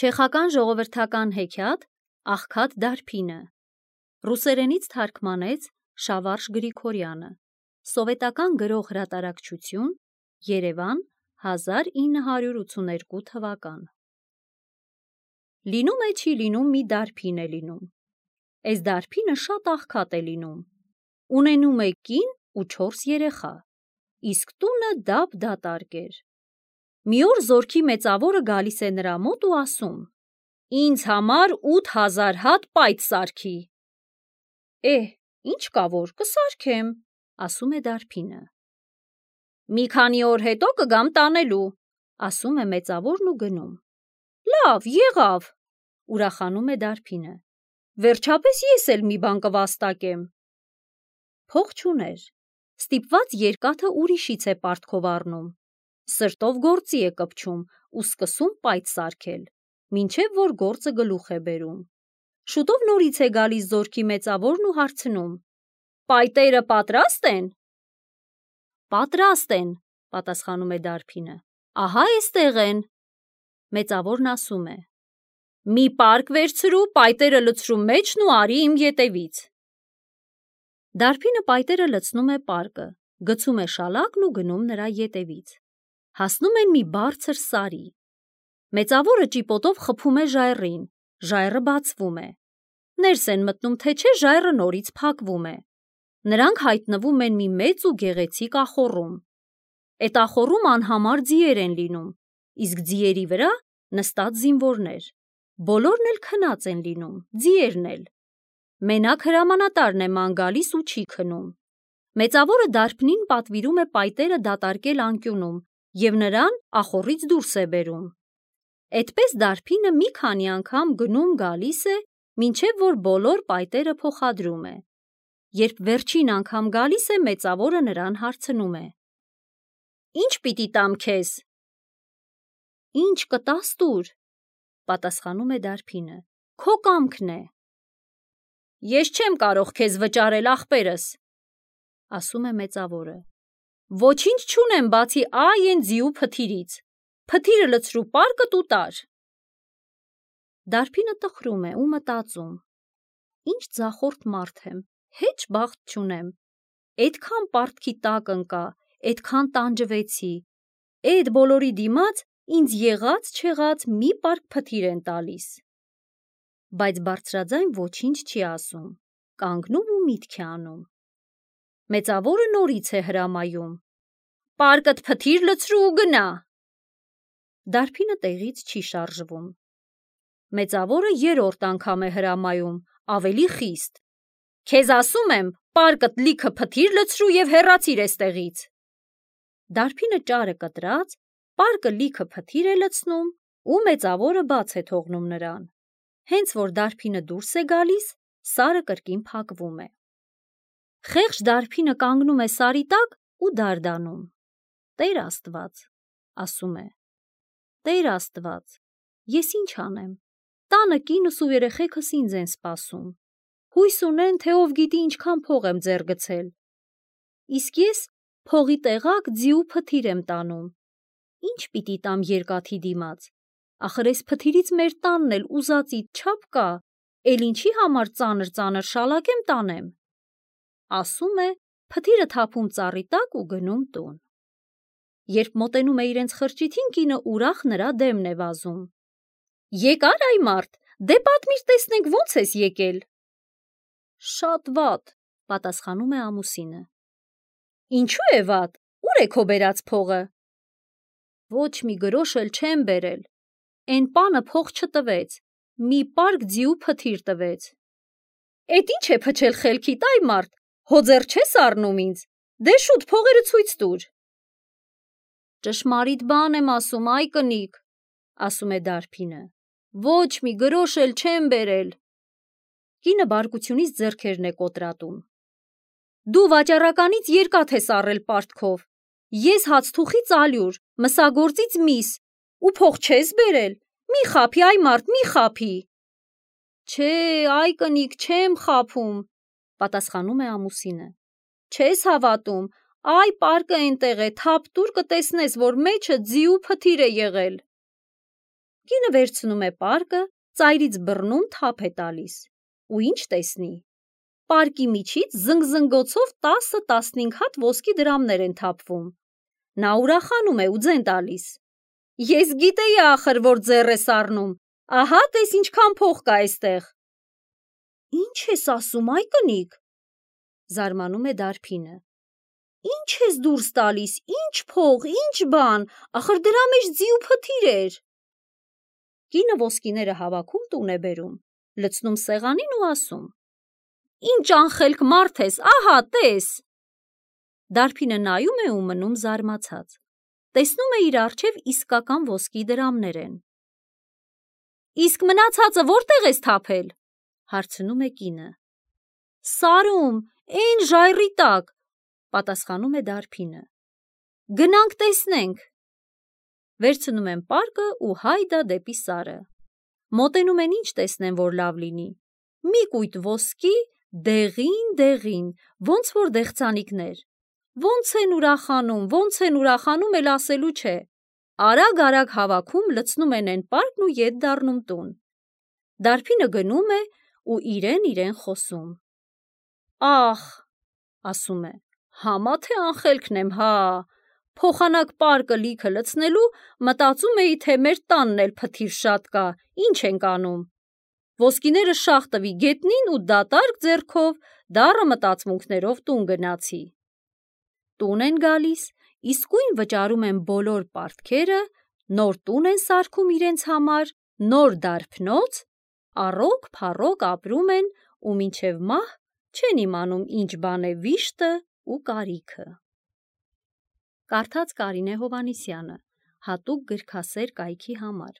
Չեխական ժողովրդական հեքիաթ «Աղքատ դարբինը» ռուսերենից թարգմանեց Շավարժ Գրիգորյանը, սովետական գրող հրատարակչություն, Երևան, 1982 թվական։ Լինում է չի լինում մի դարբին է լինում, այս դարբինը շատ աղքատ է լինում, ունենում է կին ու 4 երեխա, իսկ տունը դափ-դատարկ էր։ Մի օր զորքի մեծավորը գալիս է նրա մոտ ու ասում. «Ինձ համար 8000 հատ պայծ սարքի»։ Ինչ կա որ, կսարքեմ, ասում է դարբինը։ Մի քանի օր հետո կգամ տանելու, ասում է մեծավորն ու գնում։ Լավ, եղավ, ուրախանում է դարբինը։ Վերջապես ես էլ մի բան կվաստակեմ։ Փող չուներ, ստիպված երկաթը ուրիշից է պարտքով առնում, սրտով գործի է կպչում ու սկսում պայծ սարքել, մինչև որ գործը գլուխ է բերում։ Շուտով նորից է գալիս զորքի մեծավորն ու հարցնում. «Պայտերը պատրաստ են»։ «Պատրաստ են», պատասխանում է դարբինը, ահա էստեղ են։ Մեծավորն ասում է. «Մի պարկ վերցրու, պայտերը լցրու մեջն ու արի իմ ետևից»։ Դարբինը պայտերը լցնում է պարկը, գցում է շալակն ու գնում նրա ետևից։ Հասնում են մի բարձր սարի։ Մեծավորը ճիպոտով խփում է ժայռին, ժայռը բացվում է։ Ներս են մտնում, թե չէ ժայռը նորից փակվում է։ Նրանք հայտնվում են մի մեծ ու գեղեցիկ ախոռում։ Էդ ախոռում անհամար ձիեր են լինում, իսկ ձիերի վրա նստած զինվորներ։ Բոլորն էլ քնած են լինում, ձիերն էլ։ Մենակ հրամանատարն է ման գալիս ու չի քնում։ Մեծավորը դարբնին պատվիրում է պայտերը դատարկել անկյունում և նրան ախոռից դուրս է բերում։ Էդպես դարբինը մի քանի անգամ գնում գալիս է, մինչև որ բոլոր պայտերը փոխադրում է։ Երբ վերջին անգամ գալիս է, մեծավորը նրան հարցնում է. «Ինչ պիտի տամ քեզ»։ «Ինչ կտաս տուր», պատասխանում է դարբինը, «քո կամքն է»։ «Ես չեմ կարող քեզ վճարել, ախպերս», ասում է մեծավորը։ «Ոչինչ չունեմ բացի այն ձիու փթիրից, փթիրը լցրու պարկդ ու տար»։ Դարբինը տխրում է ու մտածում. «Ինչ ձախորդ մարդ եմ, հեչ բախտ չունեմ, էդքան պարտքի տակ ընկա, էդքան տանջվեցի, էդ բոլորի դիմաց ինձ եղած-չեղած մի պարկ փթիր են տալիս»։ Բայց բարձրաձայն ոչինչ չի ասում, կանգնում ու միտք է անում։ Մեծավորը նորից է հրամայում. «Պարկդ փթիր լցրու ու գնա»։ Դարբինը տեղից չի շարժվում։ Մեծավորը երրորդ անգամ է հրամայում, ավելի խիստ. «Քեզ ասում եմ, պարկդ լիքը փթիր լցրու և հեռացիր էստեղից»։ Դարբինը ճարը կտրած, պարկը լիքը փթիր է լցնում ու մեծավորը բաց է թողնում նրան։ Հենց որ դարբինը դուրս է գալիս, սարը կրկին փակվում է։ Խեղճ դարբինը կանգնում է սարի տակ ու դարդանում։ «Տեր Աստված», ասում է, «Տեր Աստված, ես ինչ անեմ, տանը կինս ու երեխեքս ինձ են սպասում, հույս ունեն, թե ով գիտի ինչքան փող եմ ձեռ գցել, իսկ ես փողի տեղակ ձի ու փթիր եմ տանում, ինչ պիտի տամ երկաթի դիմաց, ախր էս փթիրից մեր տանն էլ ուզածիդ չափ կա, էլ ինչի համար ծանր շալակ եմ տանեմ»։ Ասում է, փթիրը թափում ծառի տակ ու գնում տուն։ Երբ մոտենում է իրենց խրճիթին, կինը ուրախ նրա դեմն է վազում. «Եկա՞ր այ մարդ, դե պատմիր տեսնենք ոնց ես եկել»։ «Շատ վատ», պատասխանում է ամուսինը։ «Ինչու է վատ, ուր է քո բերած փողը»։ «Ոչ մի գրոշ էլ չեմ բերել, էն պանը փող չտվեց, մի պարկ ձի ու փթիր տվեց»։ «Էդ ինչ է փչել խելքիդ, այ մարդ, հո ձեռ չես առնում ինձ, դե շուտ փողերը ցույց տուր»։ «Ճշմարիտ բան եմ ասում, այ կնիկ», ասում է դարբինը, «ոչ մի գրոշ էլ չեմ բերել»։ Կինը բարկությունից ձեռքերն է կոտրատում։ «Դու վաճառականից երկաթ ես առել պարտքով, ես հացթուխից ալյուր, մսագործից միս, ու փող չես բերել, մի խաբի, այ մարդ, մի խաբի»։ «Չէ, այ կնիկ, չեմ խաբում», պատասխանում է ամուսինը։ «Չես հավատում, այ պարկը էնտեղ է, թափ տուր կտեսնես, որ մեջը ձի ու փթիր է եղել»։ Կինը վերցնում է պարկը, ծայրից բռնում թափ է տալիս, ու ինչ տեսնի։ Պարկի միջից զնգզնգոցով 10-15 հատ ոսկի դրամներ են թափվում։ Նա ուրախանում է ու ձեն տալիս։ Ես գիտեի ախր, որ ձեռ ես առնում, ահա տես ինչքան փող կա այստեղ։ Ինչ ես ասում, այ կնիկ, զարմանում է Դարբինը։ Ինչ ես դուրս տալիս, ինչ փող, ինչ բան, ախր դրա մեջ ձի ու փթիր էր։ Կինը ոսկիները հավաքում տուն է բերում, լցնում սեղանին ու ասում. Ինչ անխելք մարդ ես, ահա տես։ Դարբինը նայում է ու մնում զարմացած։ Տեսնում է իր առջև իսկական ոսկի դրամներ են։ Իսկ մնացածը որտեղ ես թափել, հարցնում է կինը։ Սարում, էն ժայռի տակ, պատասխանում է Դարբինը։ Գնանք տեսնենք։ Վերցնում են պարկը ու հայդա դեպի Սարը։ Մոտենում են ինչ տեսնեն, որ լավ լինի։ Մի կույտ ոսկի, դեղին, ոնց որ դեղցանիկներ։ Ոնց են ուրախանում, էլ ասելու չէ։ Արագ հավաքում լցնում են են պարկն ու ետ դառնում տուն։ Դարբինը գնում է ու իրեն խոսում։ Ախ, ասում է, համա թե անխելքն եմ, հա։ Փոխանակ պարկը լիքը լցնելու մտածում էի, թե մեր տանն էլ փթիր շատ կա, ինչ ենք անում։ Ոսկիները շաղ տվի գետնին ու դատարկ ձեռքով դառը մտածմունքներով տուն գնացի։ Տուն են գալիս, իսկույն վճարում են բոլոր պարտքերը, նոր տուն են սարքում իրենց համար, նոր դարբնոց, առոք ապրում են ու մինչև մահ չեն իմանում ինչ բան է վիշտը ու կարիքը։ Կարդաց Կարինե Հովհաննիսյանը, հատուկ գրքասեր կայքի համար։